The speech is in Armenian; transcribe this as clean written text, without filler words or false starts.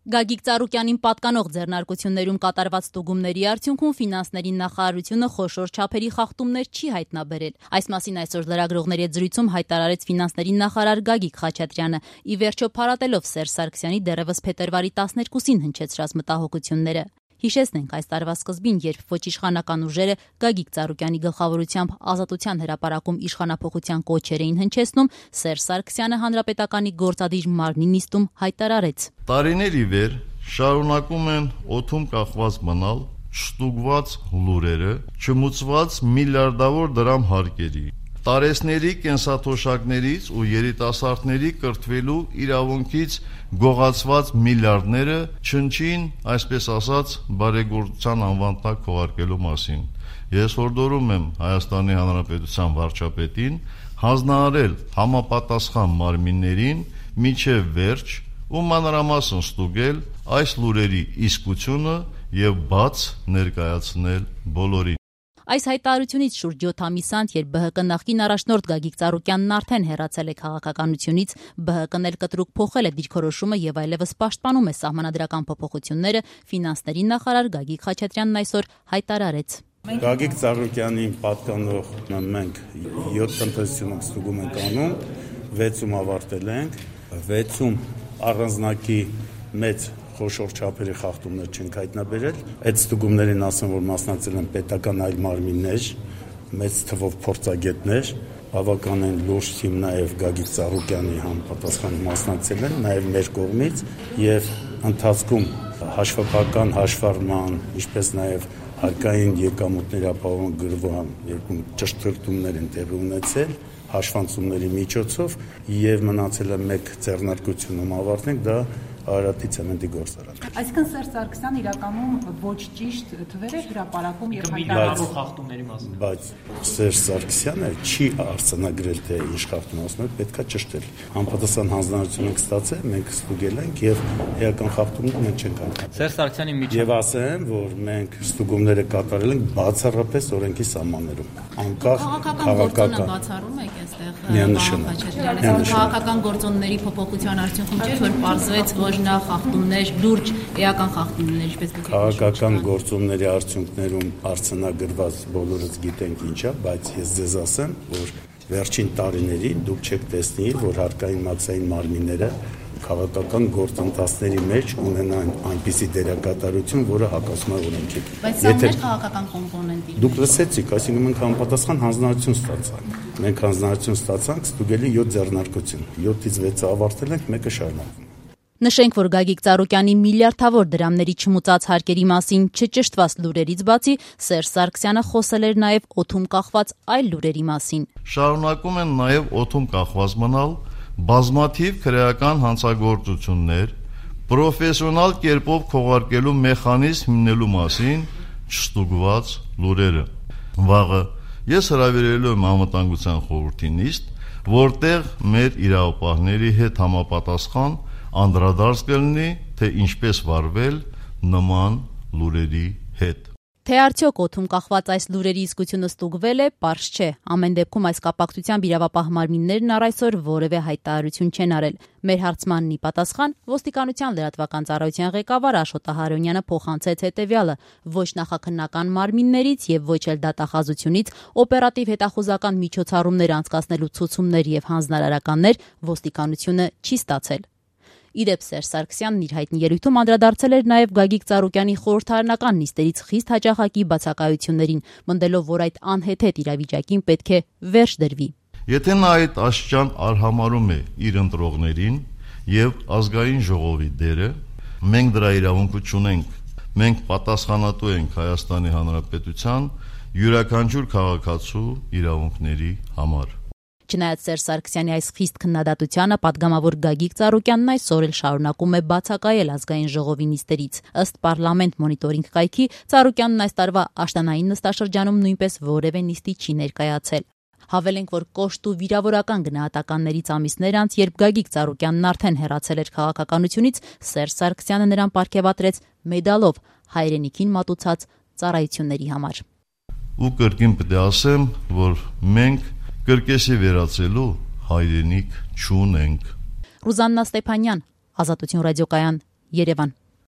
Գագիկ Ծառուկյանին պատկանող ձեռնարկություններում կատարված ստուգումների արդյունքում ֆինանսների նախարարությունը խոշոր չափերի խախտումներ չի հայտնաբերել։ Այս մասին այսօր լրագրողների հետ զրույցում հայտարարեց ֆինանսների նախարար Գագիկ Խաչատրյանը, ի վերջո փառատելով Սերժ Սարգսյանի դեռևս փետրվարի 12-ին հնչեցրած մտահոգությունները։ Հիշեցնենք, այս տարվա սկզբին, երբ ոչ իշխանական ուժերը Գագիկ Ծառուկյանի գլխավորությամբ Ազատության հրապարակում իշխանափոխության կոչեր էին հնչեցնում, Սերժ Սարգսյանը հանրապետականի գործադիր մարմնի նիստում հայտարարեց. Տարիներ ի վեր շարունակում են օդում կախված մնալ չստուգված լուրերը, չմուծված միլիարդավոր դրամ հարկերի, տարեցների կենսաթոշակներից ու երիտասարդների կրթվելու իրավունքից գողացված միլիարդները չնչին, այսպես ասած, բարեգործության անվան տակ քողարկելու մասին։ Ես հորդորում եմ Հայաստանի Հանրապետության վարչապետին հանձնարարել համապատասխան մարմիններին մինչև վերջ ու մանրամասն ստուգել այս լուրերի իսկությունը եւ բաց ներկայացնել բոլորին։ Այս հայտարարությունից շուրջ 7 ամիս անց, երբ ԲՀԿ նախկին առաջնորդ Գագիկ Ծառուկյանն արդեն հեռացել է քաղաքականությունից, ԲՀԿ-ն էլ կտրուկ փոխել է դիրքորոշումը եւ այլևս պաշտպանում է սահմանադրական փոփոխությունները, ֆինանսների նախարար Գագիկ Խաչատրյանն այսօր հայտարարեց. Գագիկ Ծառուկյանին պատկանող մենք 7 տնտեսությունում ստուգում ենք անում, 6-ում ավարտել ենք, 6-ում առանձնակի մեծ խոշոր չափերի խախտումներ չենք հայտնաբերել։ Այդ ստուգումներին ասեմ, որ մասնակցել են պետական այլ մարմիններ, մեծ թվով փորձագետներ, բավականին լուրջ թիմ նաև Գագիկ Ծառուկյանի համապատասխան մասնակցել են, նաև մեր կողմից, եւ ընթացքում հաշվապահական հաշվառման, ինչպես նաև հարկային եկամուտների ապահովման գրվան երկու ճշտումներ են տեղի ունեցել հաշվանցումների միջոցով եւ մնացել է մեկ ձեռնարկությունում ավարտենք, դա Արարատի ցեմենտի գործարանը։ Այսինքն Սերժ Սարգսյանն իրականում ոչ ճիշտ թվեր է հրապարակում եւ հայտարարող խախտումների մասին։ Բայց Սերժ Սարգսյանը չի արձանագրել, թե ինչ խախտում ասում է, պետքա ճշտել։ Համապատասխան հանձնարարություն ենք ստացել, մենք ստուգել ենք եւ էական խախտումներ մենք չենք անում։ Սերժ Սարգսյանի միջև եւ ասեմ, որ մենք ստուգումները կատարել ենք բացառապես օրենքի սահմաններում, անկախ քաղաքական բացառում եք այստեղ միանշանակ քաղաքական գործոնների փոփոխության արդյունքում չէ, որ պարզվեց նա խախտումներ, լուրջ էական խախտումներ, ինչպես քաղաքական գործոնների արդյունքներում արձանագրված բոլորս գիտենք ինչա, բայց ես ձեզ ասեմ, որ վերջին տարիներին դուք չեք տեսնի, որ հարկային մաքսային մարմինները քաղաքական գործընթացների մեջ ունենան այնպիսի դերակատարություն, որը հակասում է օրենքին։ Բայց սա մեր քաղաքական կոմպոնենտի։ Դուք լսեցիք, այսինքն մենք համապատասխան հանձնարարություն ստացանք։ Մենք հանձնարարություն ստացանք ստուգելի 7 ձեռնարկություն։ 7-ից 6-ը ավարտել ենք, մեկը շարունակվում։ Նշենք, որ Գագիկ Ծառուկյանի միլիարդավոր դրամների չմուծած հարկերի մասին չճշտված լուրերից բացի Սերժ Սարգսյանը խոսել էր նաև օդում կախված այլ լուրերի մասին։ Շարունակում են նաև օդում կախված մնալ բազմաթիվ քրեական հանցագործություններ, պրոֆեսիոնալ կերպով քողարկելու մեխանիզմ հիմնելու մասին չստուգված լուրերը։ Վաղը ես հրավիրելու եմ անվտանգության խորհրդի նիստ, որտեղ մեր իրավապահների հետ համապատասխան անդրադարձ կլինի, թե ինչպես վարվել նման լուրերի հետ։ Թե արդյոք օդում կախված այս լուրերի իսկությունը ստուգվել է, պարզ չէ։ Ամեն դեպքում այս կապակցությամբ իրավապահ մարմիններն առ այսօր որևէ հայտարարություն չեն արել։ Մեր հարցմանն ի պատասխան ոստիկանության լրատվական ծառայության ղեկավար Աշոտ Ահարոնյանը փոխանցեց հետևյալը. ոչ նախաքննական մարմիններից եւ ոչ էլ դատախազությունից օպերատիվ հետախուզական միջոցառումներ անցկացնելու ցուցումներ եւ հանձնարարականներ ոստիկանությունը չի ստացել։ Իդեպ Սերժ Սարգսյանն իր հայտնի ելույթում անդրադարձել էր նաև Գագիկ Ծառուկյանի խորհրդարանական նիստերից խիստ հաճախակի բացակայություններին, մնդելով, որ այդ անհեթեթ իրավիճակին պետք է վերջ դրվի։ Եթե նա այդ աշճան արհամարում է իր ընտրողներին եւ ազգային ժողովի դերը, մենք դրա իրավունքը չունենք։ Մենք պատասխանատու ենք Հայաստանի Հանրապետության յուրաքանչյուր քաղաքացու իրավունքների համար։ Չնայած Սերժ Սարգսյանի այս խիստ քննադատությանը, պատգամավոր Գագիկ Ծառուկյանն այսօր էլ շարունակում է բացակայել ազգային ժողովի նիստերից։ Ըստ Պարլամենտ մոնիտորինգ կայքի, Ծառուկյանն այս տարվա աշտանային նստաշրջանում նույնպես որևէ նիստի չի ներկայացել։ Հավելենք, որ կոշտ ու վիրավորական գնահատականներից ամիսներ անց, երբ Գագիկ Ծառուկյանն արդեն հեռացել էր քաղաքականությունից, Սերժ Սարգսյանը նրան պարգևատրեց մեդալով հայրենիքին մատուցած ծառայությունների համար։ Ու կրկին պետք է ասեմ, որ մենք կրկեսի վերացելու հայրենիք չունենք։ Ռուզաննա Ստեփանյան, Ազատություն ռադիոկայան, Երևան։